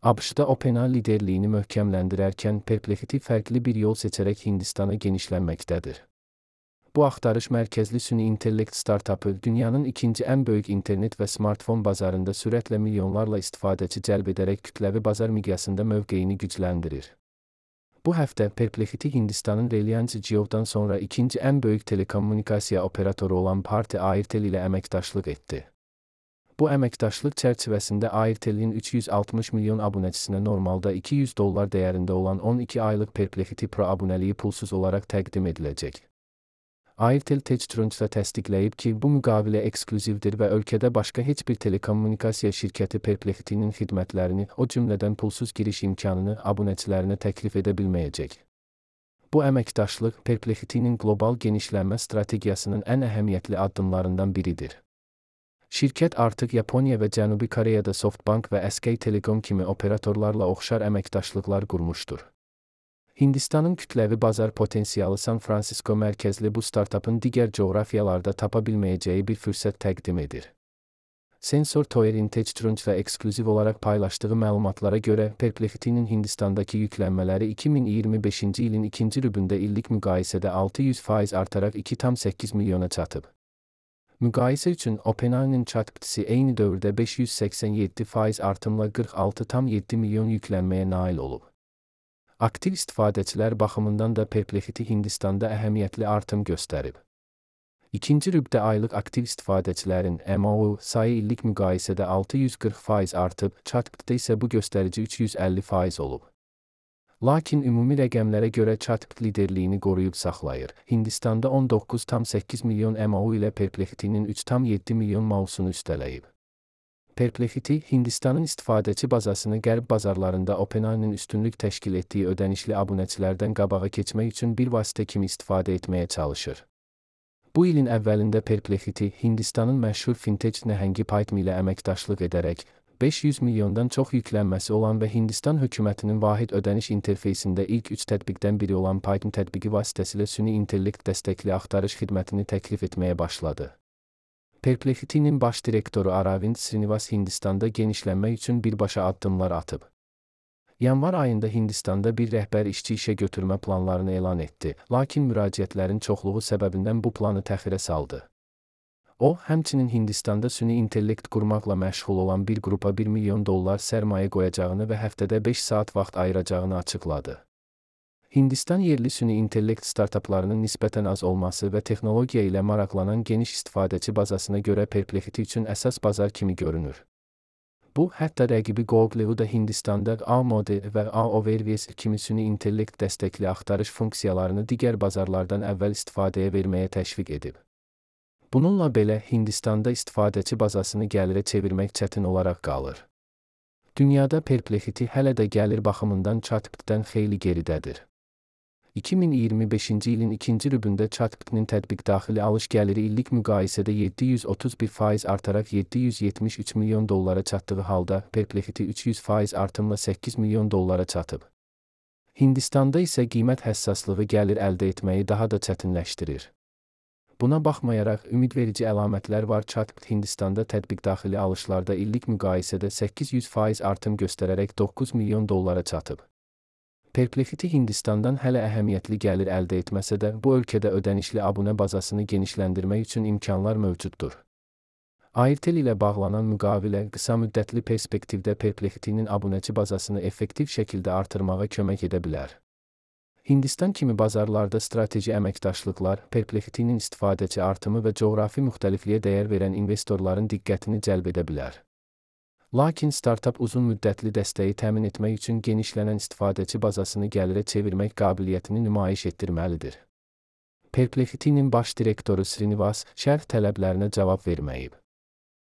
ABŞ-da OpenAI liderliyini möhkəmləndirərkən Perplexity fərqli bir yol seçərək Hindistana genişlənməkdədir. Bu axtarış mərkəzli süni intellekt startapı dünyanın ikinci ən böyük internet və smartfon bazarında sürətlə milyonlarla istifadəçi cəlb edərək kütləvi bazar miqyasında mövqeyini gücləndirir. Bu həftə Perplexity Hindistanın Reliance Jio'dan sonra ikinci ən böyük telekommunikasiya operatoru olan Bharti Airtel ilə əməkdaşlıq etdi. Bu əməkdaşlıq çərçivəsində Airtel'in 360 milyon abunəçisinə normalda $200 dəyərində olan 12 aylıq Perplexity Pro abunəliyi pulsuz olaraq təqdim ediləcək. Airtel TechCrunch'da təsdiqləyib ki, bu müqavilə eksklüzivdir və ölkədə başqa heç bir telekommunikasiya şirkəti Perplexity'nin xidmətlərini, o cümlədən pulsuz giriş imkanını abunəçilərinə təklif edə bilməyəcək. Bu əməkdaşlıq Perplexity'nin qlobal genişlənmə strategiyasının ən əhəmiyyətli addımlarından biridir. Şirkət artıq Yaponiya və Cənubi Koreyada SoftBank və SK Telecom kimi operatorlarla oxşar əməkdaşlıqlar qurmuşdur. Hindistanın kütləvi bazar potensialı San Francisco mərkəzli bu startapın digər coğrafiyalarda tapa bilməyəcəyi bir fürsət təqdim edir. Sensor Tower'in TechCrunch'da eksklüziv olaraq paylaşdığı məlumatlara görə Perplexity'nin Hindistandakı yüklənmələri 2025-ci ilin ikinci rübündə illik müqayisədə 600% artaraq 2,8 milyona çatıb. Müqayisə üçün OpenAI'nin ChatGPT'si eyni dövrdə 587% artımla 46,7 milyon yüklənməyə nail olub. Aktiv istifadəçilər baxımından da Perplexity Hindistanda əhəmiyyətli artım göstərib. İkinci rübdə aylıq aktiv istifadəçilərin MAU sayı illik müqayisədə 640% artıb, ChatGPT'də isə bu göstərici 350% olub. Lakin ümumi rəqəmlərə görə ChatGPT liderliyini qoruyub saxlayır. Hindistanda 19,8 milyon MAU ilə Perplexity'nin 3,7 milyon MAU-sunu üstələyib. Perplexity, Hindistanın istifadəçi bazasını qərb bazarlarında OpenAI'nin üstünlük təşkil etdiyi ödənişli abunəçilərdən qabağa keçmək üçün bir vasitə kimi istifadə etməyə çalışır. Bu ilin əvvəlində Perplexity, Hindistanın məşhur fintech nəhəngi Paytm ilə əməkdaşlıq edərək, 500 milyondan çox yüklənməsi olan və Hindistan hökumətinin vahid ödəniş interfeysində ilk 3 tətbiqdən biri olan Paytm tətbiqi vasitəsilə süni intellekt dəstəkli axtarış xidmətini təklif etməyə başladı. Perplexity'nin baş direktoru Aravind Srinivas Hindistanda genişlənmək üçün birbaşa addımlar atıb. Yanvar ayında Hindistanda bir rəhbər işçi işə götürmə planlarını elan etdi, lakin müraciətlərin çoxluğu səbəbindən bu planı təxirə saldı. O, həmçinin Hindistanda süni intellekt qurmaqla məşğul olan bir qrupa $1 milyon sərmayə qoyacağını və həftədə 5 saat vaxt ayıracağını açıqladı. Hindistan yerli süni intellekt startaplarının nisbətən az olması və texnologiya ilə maraqlanan geniş istifadəçi bazasına görə Perplexity üçün əsas bazar kimi görünür. Bu, hətta rəqibi Google-u da Hindistanda A-Model və A-Overviews kimi süni intellekt dəstəkli axtarış funksiyalarını digər bazarlardan əvvəl istifadəyə verməyə təşviq edib. Bununla belə, Hindistanda istifadəçi bazasını gəlirə çevirmək çətin olaraq qalır. Dünyada Perplexity hələ də gəlir baxımından ChatGPT-dən xeyli geridədir. 2025-ci ilin ikinci rübündə ChatGPT-nin tətbiq daxili alış gəliri illik müqayisədə 731% artaraq $773 milyon çatdığı halda, Perplexity 300% artımla $8 milyon çatıb. Hindistanda isə qiymət həssaslığı gəlir əldə etməyi daha da çətinləşdirir. Buna baxmayaraq, ümidverici əlamətlər var. ChatGPT Hindistanda tətbiq daxili alışlarda illik müqayisədə 800% artım göstərərək $9 milyon çatıb. Perplexity Hindistandan hələ əhəmiyyətli gəlir əldə etməsə də, bu ölkədə ödənişli abunə bazasını genişləndirmək üçün imkanlar mövcuddur. Airtel ilə bağlanan müqavilə qısa müddətli perspektivdə Perplexity'nin abunəçi bazasını effektiv şəkildə artırmağa kömək edə bilər. Hindistan kimi bazarlarda strateji əməkdaşlıqlar, Perplexity'nin istifadəçi artımı və coğrafi müxtəlifliyə dəyər verən investorların diqqətini cəlb edə bilər. Lakin startap uzun müddətli dəstəyi təmin etmək üçün genişlənən istifadəçi bazasını gəlirə çevirmək qabiliyyətini nümayiş etdirməlidir. Perplexity'nin baş direktoru Srinivas, şərh tələblərinə cavab verməyib.